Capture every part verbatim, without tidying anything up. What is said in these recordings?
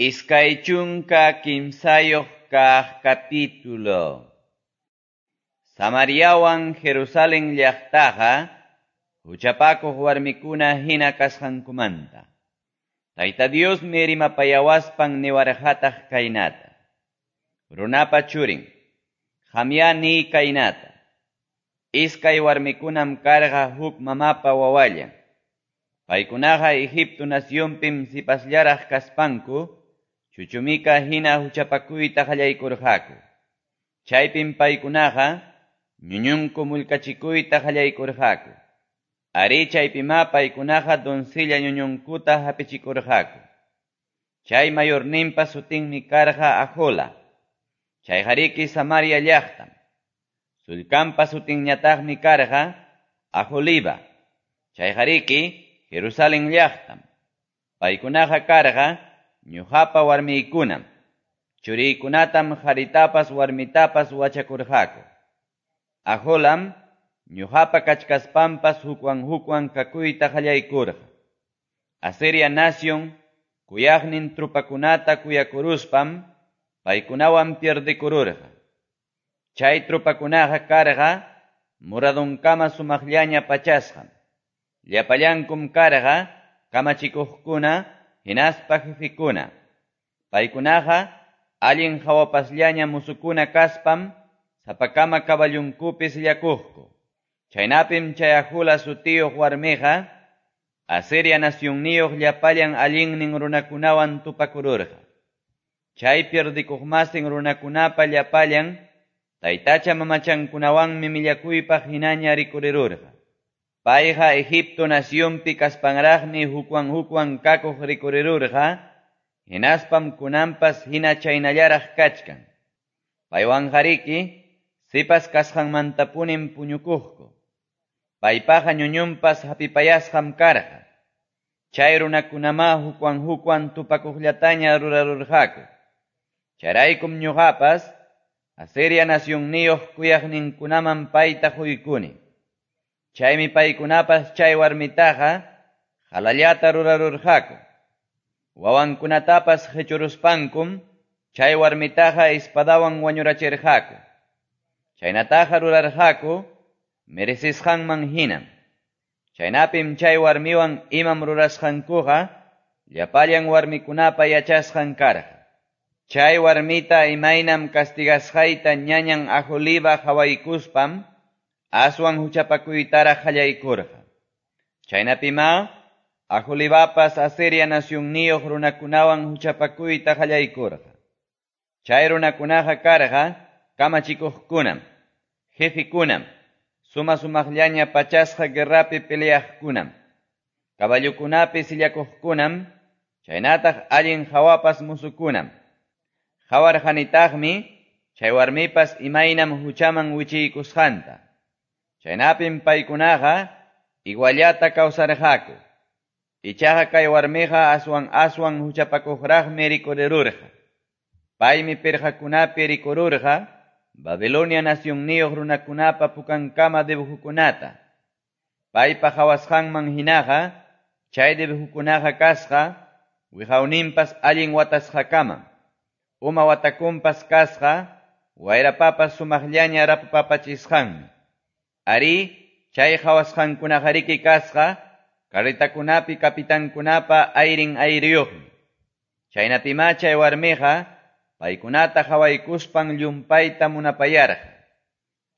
Iskay chunka kimsayuq kaq capítulo. Samariawan Jerusalén llaqtaqa huchapakuq warmikuna hina kasqankumanta. Tayta Diosmi rimapayawaspan niwarqataq kaynata. Runapa churin, qamyá niy kaynata. Iskay warmikunam karqa huk mamapa wawallan. Paykunaqa Egipto nacionpim sipasllaraq kaspanku, chuchumika hina huchapakuyta qallaykurqaku. Chaypim paykunaqa ñuñunku mullkachikuyta qallaykurqaku. Arí chaypimá paykunaqa doncella ñuñunkuta hapichikurqaku. Chay mayorninpa sutinmi karqa Ahola. Chayqariki Samaria llaqtam. Sullkanpa sutinñataqmi karqa Aholiba. Chayqariki Jerusalén llaqtam. Paykunaqa karqa ñuqapa warmiykunam. Churiykunatam qaritapas warmitapas wachakurqaku. Aholam ñuqapa kachkaspanpas hukwan hukwan kakuyta qallaykurqa. Asiria nación kuyaqnin trupakunata kuyakuruspam paykunawan pierdekururqa. Chay trupakunaqa karqa muradunkama sumaqllaña pachasqam. Llapallankum karqa kamachikuqkuna hinaspa jefikuna. Paykunaqa allin hawapasllaña musukuna kaspam sapakama kaballunkupi sillakuqku. Chaynapim chay Ahola sutiyuq warmiqa Asiria nacionniyuq llapallan allinnin runakunawan tupakururqa. Chay pierdikuqmasin runakunapa llapallan taytacha mamachankunawanmi millakuypaq hinaña rikurirurqa. Payqa Egipto nacionpi kaspanraqmi hukwan hukwan kakuq rikurirurqa, hinaspam kunanpas hina chaynallaraq kachkan. Paywanqariki sipas kasqanmantapunim puñukuqku. Paypaqa ñuñunpas hapipayasqam karqa. Chay runakunamá hukwan hukwan tupakuqllataña rurarurqaku. Chayraykum ñuqapas Asiria nacionniyuq kuyaqninkunaman payta quykuni. Chaymi paykunapas chay warmitaqa qalallata rurarurqaku. Wawankunatapas qichuruspankum chay warmitaqa espadawan wañurachirqaku. Chaynataqa rurarqaku merecisqanman hinam. Chaynapim chay warmiwan imam rurasqankuqa llapallan warmikunapa yachasqan karqa. Chay warmita imaynam castigasqayta ñañan Aholiba qhawaykuspam aswan huchapakuytaraq qallaykurqa. Chaynapimá Aholibapas Asiria nacionniyuq runakunawan huchapakuyta qallaykurqa. Chay runakunaqa karqa kamachikuqkunam, jefikunam, suma sumaqllaña pachasqa guerrapi peleaqkunam, caballukunapi sillakuqkunam, chaynataq allin hawapas musukunam. Qawarqanitaqmi chay warmipas imaynam huchaman wichiykusqanta. Chaynapim paykunaqa iguallata kawsarqaku. Ichaqa kay warmiqa aswan aswan huchapakuqraqmi rikurirurqa. Paymi pirqakunapi rikururqa Babilonia nacionniyuq runakunapa pukankama dibujukunata. Paypa qhawasqanman hinaqa chay dibujukunaqa kasqa wiqawninpas allin watasqakamam. Uma watakunpas kasqa wayrapapas sumaqllaña rapapapachisqanmi. Arí, chay qhawasqankunaqariki kasqa carretakunapi kapitankunapa ayrin ayriyuqmi. Chaynapimá chay warmiqa paykunata qhawaykuspan llumpayta munapayarqa.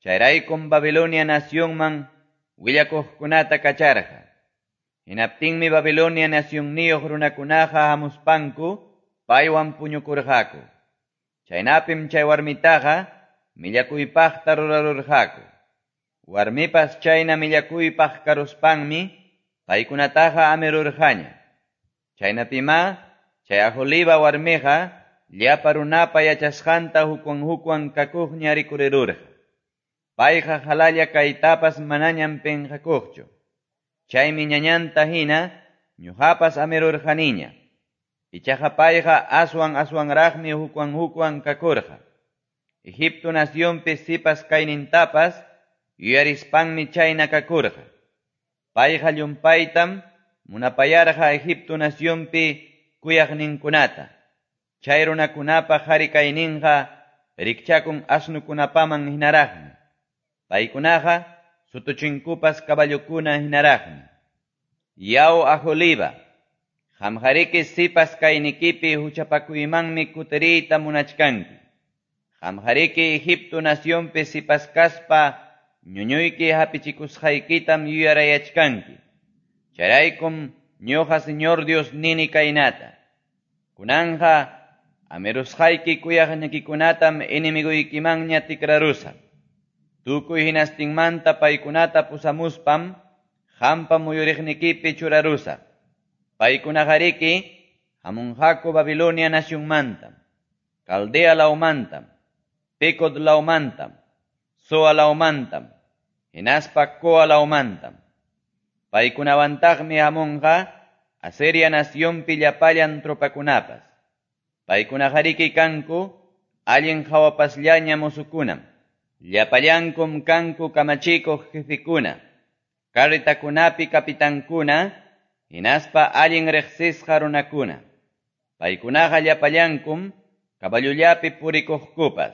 Chayraykum Babilonia nacionman willakuqkunata kacharqa. Hinaptinmi Babilonia nacionniyuq runakunaqa hamuspanku paywan puñukurqaku. Chaynapim chay warmitaqa millakuypaqta rurarurqaku. Warmipas chayna millakuypaq karuspanmi paykunataqa amirurqaña. Chaynapimá chay Aholiba warmiqa llapa runapa yachasqanta hukwan hukwan kakuqña rikurirurqa. Payqa qalalla kaytapas manañam pinqakuqchu. Chaymi ñañanta hina ñuqapas amirurqaniña. Ichaqa payqa aswan aswanraqmi hukwan hukwan kakurqa. Egipto nacionpi sipas kaynintapas yuyarispanmi chayna kakurqa. Payqa llumpaytam munapayarqa Egipto nacionpi kuyaqninkunata. Chay runakunapa qari kayninqa rikchakun asnukunapaman hinaraqmi. Paykunaqa sutuchinkupas caballokuna hinaraqmi. Yaw Aholiba, qamqariki sipas kaynikipi huchapakuymanmi kutiriyta munachkanki. Qamqariki Egipto nacionpi sipas kaspa ñuñuyki hapichikusqaykitam yuyarayachkanki. Chayraykum ñuqa Señor Dios nini kaynata. Kunanja amirusqayki kuyaqnikikunatam enemiguykimanña tikrarusaq. Tukuy hinastinmanta paykunata pusamuspam qampa muyuriqnikipi churarusaq. Paykunaqariki hamunqaku Babilonia nacionmantam, Caldea lawmantam, Pecod lawmantam, Soa lawmantam, hinaspa Coa lawmantam. Paykunawantaqmi hamunqa Asiria nacionpi llapallan tropakunapas. Paykunaqariki kanku allin hawapasllaña mozukunam. Llapallankum kanku kamachikuq jefekuna, carretakunapi kapitankuna, hinaspa allin riqsisqa runakuna. Paykunaqa llapallankum caballullapi purikuqkupas.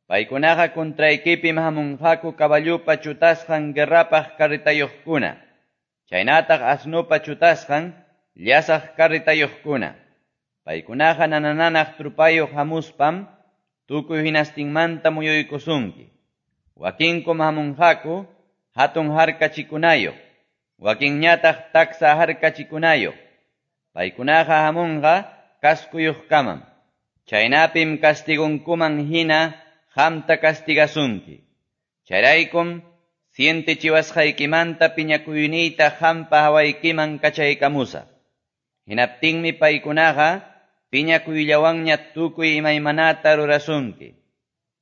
Paykunaqa contraykipim hamunqaku caballupa chutasqan guerrapaq carretayuqkuna, chaynataq asnupa chutasqan llasaq carretayuqkuna. Paykunaqa nanananaq trupayuq hamuspam tukuy hinastinmanta muyuykusunki. Wakinkum hamunqaku hatun harkachikunayoq, wakinñataq taksa harkachikunayoq. Paykunaqa hamunqa kaskuyuqkamam. Chaynapim castigunkuman hina qamta castigasunki. Chayraykum sientichiwasqaykimanta piñakuyniyta qampa hawaykiman kachaykamusaq. Hinaptinmi paykunaqa piñakuyllawanña tukuy imaymanata rurasunki.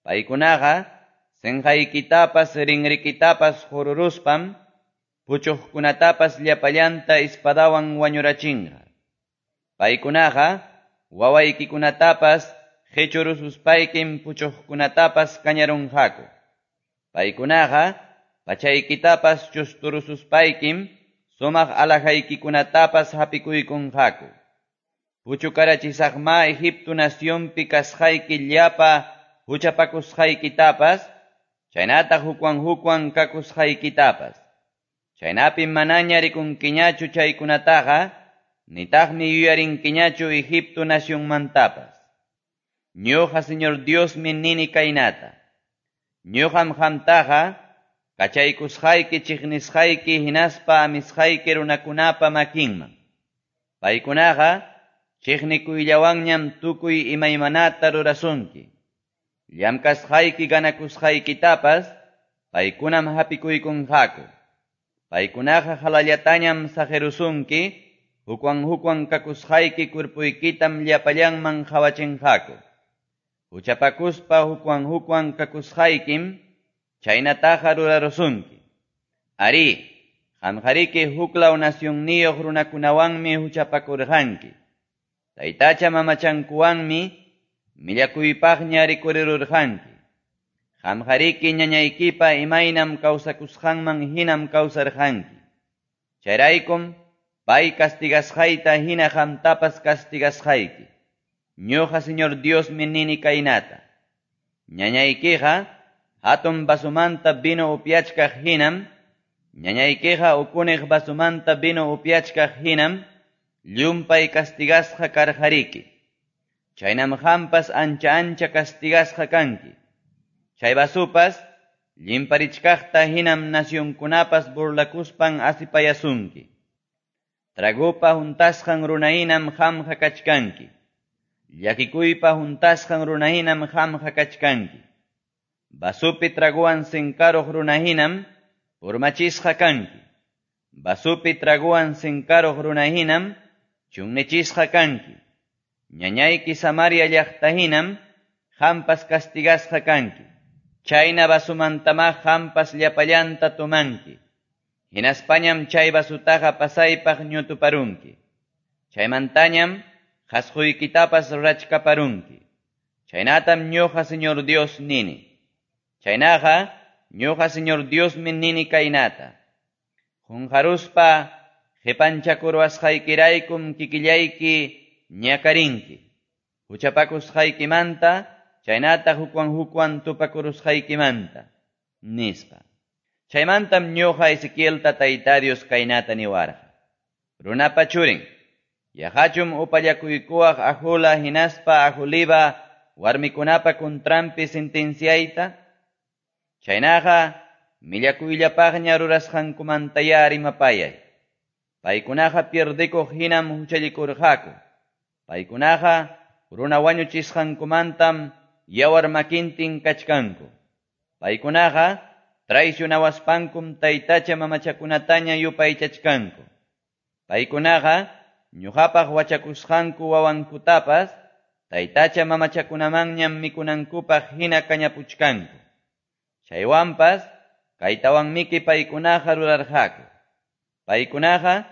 Paykunaqa senqaykitapas rinrikitapas hururuspam puchuqkunatapas llapallanta espadawan wañurachinqa. Paykunaqa wawaykikunatapas qichurususpaykim puchuqkunatapas kañarunqaku. Paykunaqa pachaykitapas chusturususpaykim sumaq alhajaykikunatapas hapikuykunqaku. Puchukarachisaqma Egipto nacionpi kasqayki llapa huchapakusqaykitapas, chaynataq hukwan hukwan kakusqaykitapas. Chaynapim manaña rikunkiñachu chaykunataqa, nitaqmi yuyarinkiñachu Egipto nacionmantapas. Ñuqa Señor Diosmi nini kaynata. Ñuqam qamtaqa kachaykusqayki chiqnisqayki hinaspa amisqayki runakunapa makinman. Paykunaqa chiqnikuyllawanñam tukuy imaymanata rurasunki. Llamkasqayki ganakusqaykitapas paykunam hapikuykunqaku. Paykunaqa halallatañam saqirusunki, hukwan hukwan kakusqayki kurpuykitam llapallanman qhawachinqaku. Huchapakuspa hukwan hukwan kakusqaykim chaynataqa rurarusunki. Ari, qamqariki huklaw nacionniyuq runakunawanmi huchapakurqanki. Taytacha mamachankuwanmi millakuypaqña rikurirurqanki. Qamqariki ñañaykipa imaynam kawsakusqanman hinam kawsarqanki. Chayraykum pay castigasqayta hina qamtapas castigasqayki. Ñuqa Señor Diosmi nini kaynata. Ñañaykiqa hatun vasomanta vino upyachkaq hinam, ñañaykiqa ukuniq vasomanta vino upyachkaq hinam, llumpay castigasqa karqariki. Chaynam qampas ancha ancha castigasqa kanki. Chay vasupas llimparichkaqta hinam nacionkunapas burlakuspan asipayasunki. Tragupa huntasqan runahinam qamqa kachkanki. Llakikuypa huntasqan runahinam qamqa kachkanki. Vasupi traguwan sinkaruq runahinam purmachisqa kanki. Vasupi traguwan sinkaruq runahinam chunnichisqa kanki. Ñañayki Samaria llaqtahinam qampas castigasqa kanki. Chayna vasumantama qampas llapallanta tumanki. Hinaspañam chay vasutaqa pasaypaq ñutuparunki. Chaymantañam qasquykitapas rachkaparunki. Chaynatam ñuqa Señor Dios nini. Chaynaqa ñuqa Señor Diosmi nini kaynata. Qunqaruspa qipanchakurwasqaykiraykum kikillayki ñakarinki. huchapakusqaykimanta chaynataq hukwan hukwan tupakurusqaykimanta, nispa. Chaymantam ñuqa Ezequielta Tayta Dios kaynata niwarqa. Runapa churin, yaqachum upallakuykuwaq Ahola hinaspa Aholiba warmikunapa contranpi sentenciayta? Chaynaqa millakuyllapaqña rurasqankumantaya rimapayay. Paykunaqa pierdikuq hinam huchallikurqaku. Paykunaqa runa wañuchisqankumantam yawar makintin kachkanku. Paykunaqa traicionawaspankum taytacha mamachakunataña yupaychachkanku. Paykunaqa ñuqapaq wachakusqanku wawankutapas taytacha mamachakunamanñam mikunankupaq hina kañapuchkanku. Chaywanpas kaytawanmiki paykunaqa rurarqaku. Paykunaqa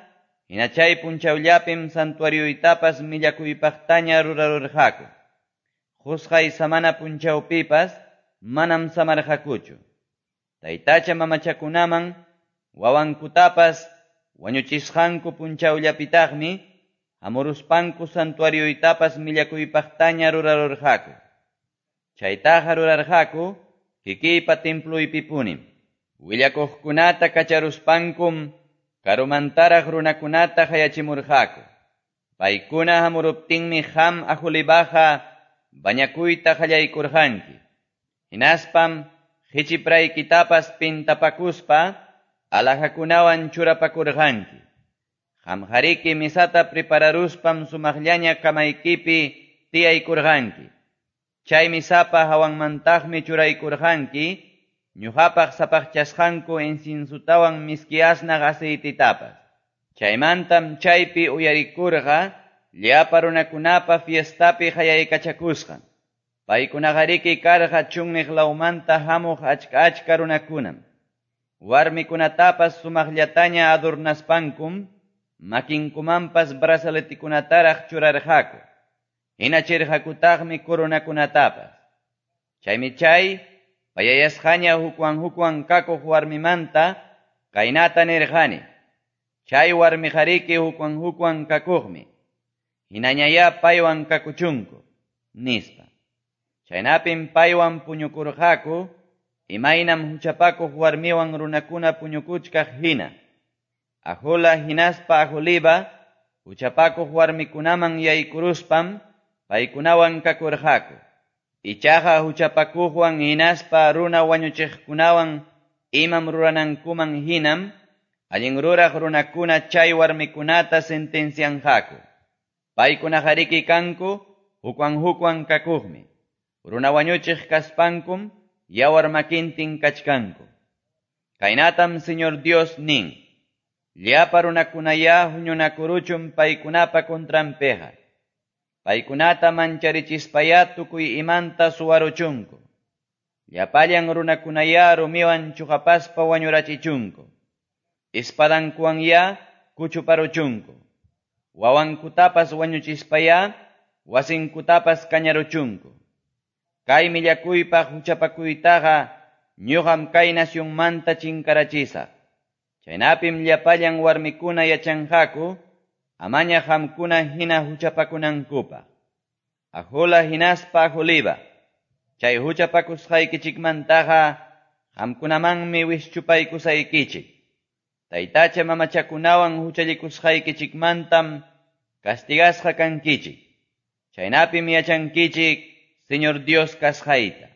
hina chay punchawllapim santuarioytapas millakuypaqtaña rurarurqaku. Qusqay samana punchawpipas manam samarqakuchu. Taytacha mamachakunaman wawankutapas wañuchisqanku punchawllapitaqmi hamuruspanku santuarioytapas millakuypaqtaña rurarurqaku. Chaytaqa rurarqaku kikiypa temploypipunim. Willakuqkunata kacharuspankum karumantaraq runakunata hayachimurqaku. Paykuna hamuruptinmi qam Aholibaqa bañakuyta qallaykurqanki. Hinaspam qichipraykitapas pintapakuspa alhajakunawan churapakurqanki. Qamqariki misata prepararuspam sumaqllaña kamaykipi tiyaykurqanki. Chay misapa hawanmantaqmi churaykurqanki ñuqapaq sapaqchasqanku inciensotawan miski asnaq aceititapas. Chaymantam chaypi uyarikurqa llapa runakunapa fiestapi hayaykachakusqan. Paykunaqariki karqa chunniq lawmanta hamuq achka achka runakunam. Warmikunatapas sumaqllataña adornaspankum makinkumanpas brazaletikunataraq churarqaku. Hinachirqakutaqmi coronakunatapas. Chaymi chay payayasqaña hukwan hukwan kakuq warmimanta kaynata nirqani. Chay warmiqariki hukwan hukwan kakuqmi. Hinañaya paywan kakuchunku, nispa. Chaynapim paywan puñukurqaku, imaynam huchapakuq warmiwan runakuna puñukuchkaq hina. Ahola hinaspa Aholiba huchapakuq warmikunaman yaykuruspam paykunawan kakurqaku. Ichaqa huchapakuqwan hinaspa runa wañuchiqkunawan imam ruranankuman hinam allin ruraq runakuna chay warmikunata sentencianqaku. Paykunaqariki kanku hukwan hukwan kakuqmi. Runa wañuchiq kaspankum yawar makintin kachkanku. Kaynatam Señor Dios nin. Llapa runakunaya huñunakuruchun paykunapa contranpiqa. Paykunata mancharichispaya tukuy imanta suwaruchunku. Llapallan runakunaya rumiwan chuqapaspa wañurachichunku. Espadankuwanya kuchuparuchunku. Wawankutapas wañuchispaya wasinkutapas kañaruchunku. Kay millakuypaq huchapakuytaqa ñuqam kay nacionmanta chinkarachisaq. Chaynapim llapallan warmikuna yachanqaku amaña qamkuna hina huchapakunankupaq. Ahola hinaspa Aholiba, chay huchapakusqaykichikmantaqa qamkunamanmi wischupaykusaykichik. Taytacha mamachakunawan huchallikusqaykichikmantam castigasqa kankichik. Chaynapim yachankichik Señor Dios kasqayta.